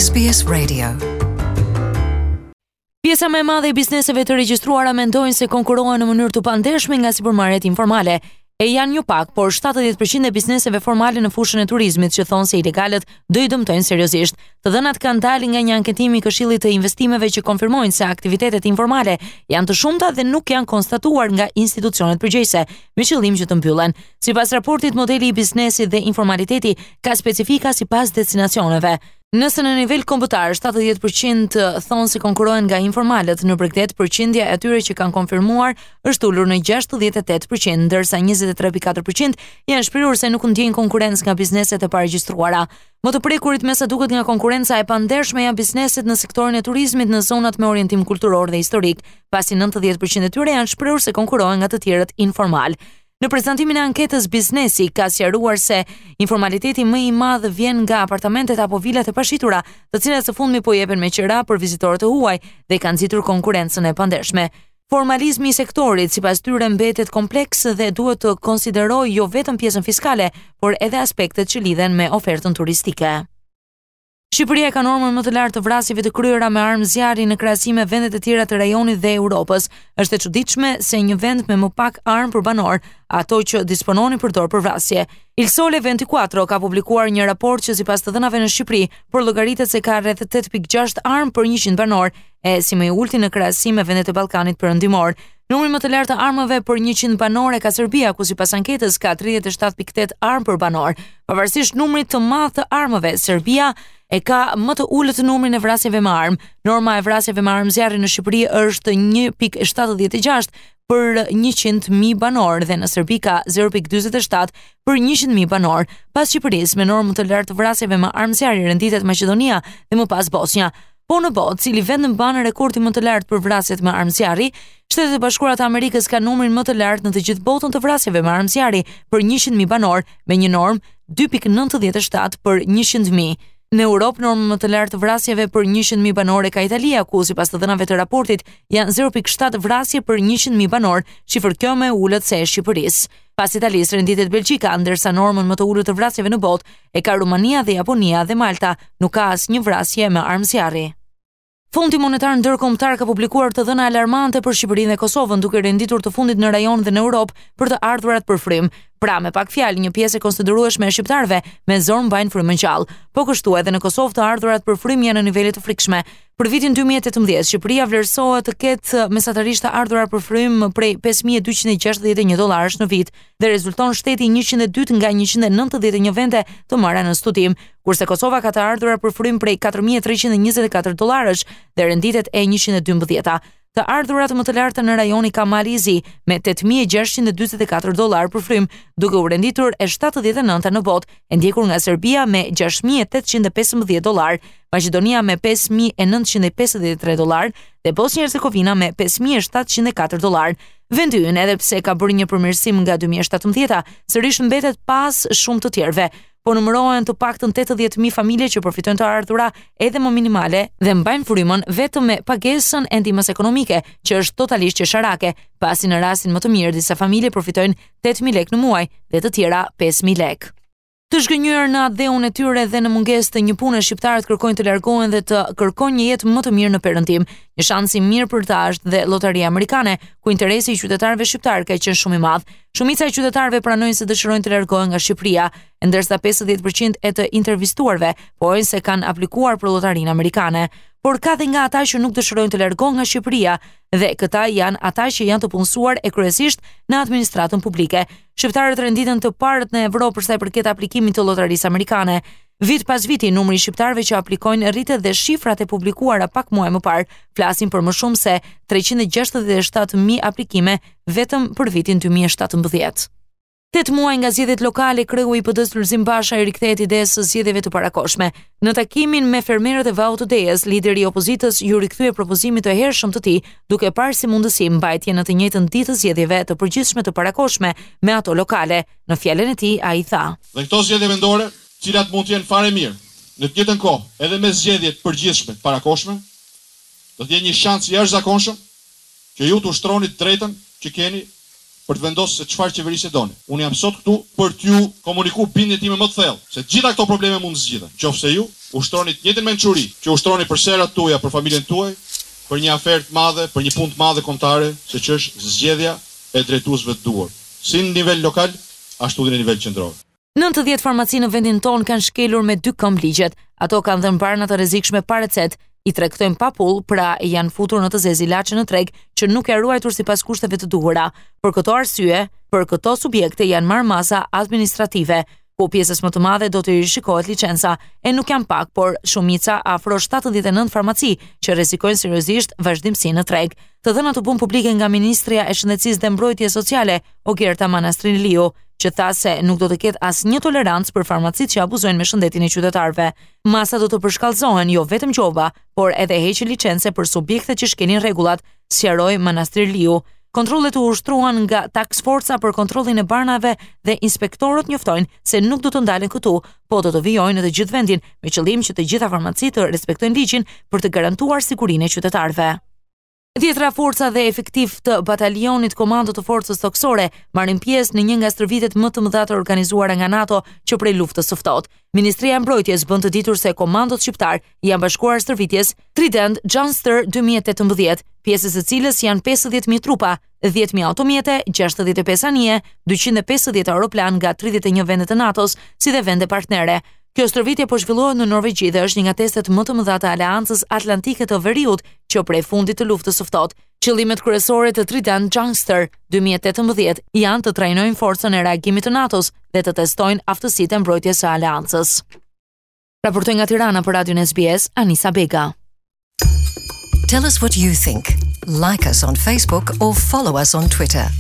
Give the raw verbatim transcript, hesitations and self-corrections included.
S B S Radio. Pjesa më e madhe e bizneseve të regjistruara mendojnë se konkurohen në mënyrë të pandershme nga sipërmarrjet informale. E janë jo pak, por shtatëdhjetë për qind e bizneseve formale në fushën e turizmit që thonë se ilegalët do i dëmtojnë seriozisht. Të dhënat kanë dalë nga një anketim i Këshillit të Investimeve që konfirmojnë se aktivitetet informale janë të shumta dhe nuk janë konstatuar nga institucionet përgjegjëse, me qëllim që të mbyllen. Sipas raportit, modeli i biznesit dhe informaliteti ka specifika sipas destinacioneve. Nëse në nivel kombëtar shtatëdhjetë për qind thonë se konkurohen nga informalët, në bregdet përqindja e atyre që kanë konfirmuar është ulur në gjashtëdhjetë e tetë për qind, ndërsa njëzet e tre pikë katër për qind janë shprehur se nuk ndjejnë konkurrencë nga bizneset e paregjistruara. Më të prekurit, me sa duket, nga konkurrenca e pandershme janë bizneset në sektorin e turizmit në zonat me orientim kulturor dhe historik, pasi nëntëdhjetë për qind e tyre janë shprehur se konkurohen nga të tjerët informal. Në prezantimin e anketës, biznesi ka sqaruar se informaliteti më i madh vjen nga apartamentet apo vilat e pashitura, të cilat së fundmi po jepen me qira për vizitorët e huaj dhe kanë nxitur konkurrencën e pandershme. Formalizmi i sektorit, sipas tyre, mbetet kompleks dhe duhet të konsiderojë jo vetëm pjesën fiskale, por edhe aspektet që lidhen me ofertën turistike. Shqipëria ka normën më të lartë të vrasjeve të kryera me armë zjarri në krahasim me vendet e tjera të rajonit dhe Europës. Është e çuditshme se një vend me më pak armë për banor, ato që dispononin përdor për vrasje. Il Sole ventiquattro ka publikuar një raport që, sipas të dhënave në Shqipëri, por llogaritet se ka rreth tetë pikë gjashtë armë për njëqind banor, e si më i ulti në krahasim me vendet e Ballkanit Perëndimor. Numri më të lartë të armëve për njëqind banor e ka Serbia, ku sipas anketës ka tridhjetë e shtatë pikë tetë armë për banor. Pavarësisht numrit të madh të armëve, Serbia e ka më të ulët numrin e vrasjeve me armë. Norma e vrasjeve me armë zjarri në Shqipëri është një pikë shtatëdhjetë e gjashtë për njëqind mijë banor dhe në Serbi ka zero pikë dyzet e shtatë për njëqind mijë banor. Pas Shqipërisë, me normë të lartë të vrasjeve me armë zjarri renditet Maqedonia dhe më pas Bosnja. Po në botë, cili vend mban rekordin më të lartë për vrasjet me armë zjarri? Shtetet e Bashkuara të Amerikës kanë numrin më të lartë në të gjithë botën të vrasjeve me armë zjarri për njëqind mijë banor, me një normë dy pikë nëntëdhjetë e shtatë për njëqind mijë. Në Europë, normën më të lartë të vrasjeve për njëqind mijë banorë ka Italia, ku sipas të dhënave të raportit janë zero pikë shtatë vrasje për njëqind mijë banorë, shifër kjo më e ulët se e Shqipërisë. Pas Italisë renditet Belgjika, ndërsa normën më të ulët të vrasjeve në botë e ka Rumania dhe Japonia, dhe Malta nuk ka asnjë vrasje me armë zjarri. Fondi Monetar Ndërkombëtar ka publikuar të dhëna alarmante për Shqipërinë dhe Kosovën, duke renditur të fundit në rajon dhe në Europë për të ardhurat për frymë. Pra, me pak fjalë, një pjesë e konsiderueshme e shqiptarëve me zor mbajnë frymën gjallë. Po kështu, edhe në Kosovë të ardhurat për frymë janë në nivele të frikshme. Për vitin dy mijë e tetëmbëdhjetë, Shqipëria vlerësohet të ketë mesatarisht të ardhurar për frymë prej pesë mijë e dyqind e gjashtëdhjetë e një dollarësh në vit dhe rezulton shteti njëqind e dy nga njëqind e nëntëdhjetë e një vende të marra në studim, kurse Kosova ka të ardhurar për frymë prej katër mijë e treqind e njëzet e katër dollarësh dhe renditet e njëqind e dymbëdhjeta. Të ardhurat më të larta në rajon i ka Mali i Zi me tetë mijë e gjashtëqind e dyzet e katër dollar për frymë, duke u renditur e shtatëdhjetë e nënta në botë, e ndjekur nga Serbia me gjashtë mijë e tetëqind e pesëmbëdhjetë dollar, Maqedonia me pesë mijë e nëntëqind e pesëdhjetë e tre dollar dhe Bosnjë Hercegovina me pesë mijë e shtatëqind e katër dollar. Vendi ynë, edhe pse ka bërë një përmirësim nga dy mijë e shtatëmbëdhjeta, sërish mbetet pas shumë të tjerëve. Po numërohen të paktën tetëdhjetë mijë familje që përfitojnë të ardhura edhe më minimale dhe mbajnë frymën vetëm me pagesën e ndihmës ekonomike, që është totalisht qesharake, pasi në rastin më të mirë disa familje përfitojnë tetë mijë lekë në muaj dhe të tjera pesë mijë lekë. Të zhgënjyer në atdheun e tyre dhe në mungesë të një pune, shqiptarët kërkojnë të largohen dhe të kërkojnë një jetë më të mirë në perëndim. Një shans i mirë për ta është dhe lotaria amerikane, ku interesi i qytetarëve shqiptar ka qenë shumë i madh. Shumica e qytetarëve pranojnë se dëshirojnë të largohen nga Shqipëria, ndërsa pesëdhjetë për qind e të intervistuarve pohojnë se kanë aplikuar për lotarinë amerikane. Por ka dhe nga ata që nuk dëshirojnë të largohen nga Shqipëria, dhe këta janë ata që janë të punësuar e kryesisht në administratën publike. Shqiptarët renditen të parët në Evropë për sa i përket aplikimit të lotarisë amerikane. Vit pas viti, numri i shqiptarëve që aplikojnë rritet dhe shifrat e publikuara pak muaj më parë flasin për më shumë se treqind e gjashtëdhjetë e shtatë mijë aplikime vetëm për vitin dy mijë e shtatëmbëdhjetë. Tetë muaj nga zgjedhjet lokale, kreu i P D-s Lulzim Basha i rikthehet idesë së zgjedhjeve të parakohshme. Në takimin me fermerët e Vaut të Dejës, lideri i opozitës ju rikthye propozimit të hershëm të tij, duke parë si mundësi mbajtjen në të njëjtën ditë të zgjedhjeve të përgjithshme të parakohshme me ato lokale. Në fjalën e tij ai tha: Dhe këto zgjedhje vendore, cilat mund të jenë fare mirë, në të njëjtën kohë edhe me zgjedhjet përgjithshme të parakohshme, do të jenë një shans i jashtëzakonshëm që ju të ushtroni të drejtën që keni për të vendosur se çfarë qeverisje doni. Unë jam sot këtu për t'ju komunikuar bindjen time më të thellë se të gjitha këto probleme mund të zgjidhen, nëse ju Ushtroni të njëjtën mençuri që ushtroni për serat tuaja, për familjen tuaj, për një aferë të madhe, për një punë të madhe kombëtare, siç është zgjedhja e drejtuesve të duhur, si në nivel lokal, ashtu edhe në nivel qendror. Nëntëdhjetë farmaci në vendin tonë kanë shkelur me dy këmbë ligjet. Ato kanë dhënë barna të rrezikshme pa recetë, i tregtojnë pa pull, pra janë futur në të zezë ilaçe në treg që nuk janë ruajtur sipas kushteve të duhura. Për këto arsye, për këto subjekte janë marrë masa administrative, ku pjesës më të madhe do të rishikohet licenca, e nuk janë pak, por shumica, afro shtatëdhjetë e nëntë farmaci që rrezikojnë seriozisht vazhdimsinë në treg. Të dhënat u bën publike nga Ministria e Shëndetësisë dhe Mbrojtjes Sociale, Ogerta Manastirliu, që tha se nuk do të ketë asnjë tolerancë për farmacitë që abuzojnë me shëndetin e qytetarëve. Masa do të përshkallëzohen jo vetëm gjoba, por edhe heqje licence për subjektet që shkelin rregullat, sqaroi Manastirliu. Kontrollet u ushtruan nga Task Forca për kontrollin e barnave dhe inspektorët njoftojnë se nuk do të ndalen këtu, po do të vijojnë në të gjithë vendin, me qëllim që të gjitha farmacitë të respektojnë ligjin për të garantuar sigurinë e qytetarëve. Dhjetra forca dhe efektiv të batalionit komando të forcës toksore marrin pjesë në një nga stërvitjet më të mëdha të organizuara nga NATO që prej luftës së ftohtë. Ministria e Mbrojtjes bën të ditur se komandot shqiptar janë bashkuar stërvitjes Trident Juncture dy mijë e tetëmbëdhjetë, pjesës së cilës janë pesëdhjetë mijë trupa, dhjetë mijë automjete, gjashtëdhjetë e pesë anije, dyqind e pesëdhjetë aeroplan nga tridhjetë e një vende të NATO-s, si dhe vende partnere. Kjo stërvitje po zhvillohet në Norvegji dhe është një nga testet më të mëdha të Aleancës Atlantike të Veriut që prej fundit të luftës së ftohtë. Qëllimet kryesore të Trident Juncture dy mijë e tetëmbëdhjetë janë të trajnojnë forcën e reagimit të NATO-s dhe të testojnë aftësitë e mbrojtjes së aleancës. Raportoi nga Tirana për Radion S B S, Anisa Bega. Tell us what you think. Like us on Facebook or follow us on Twitter.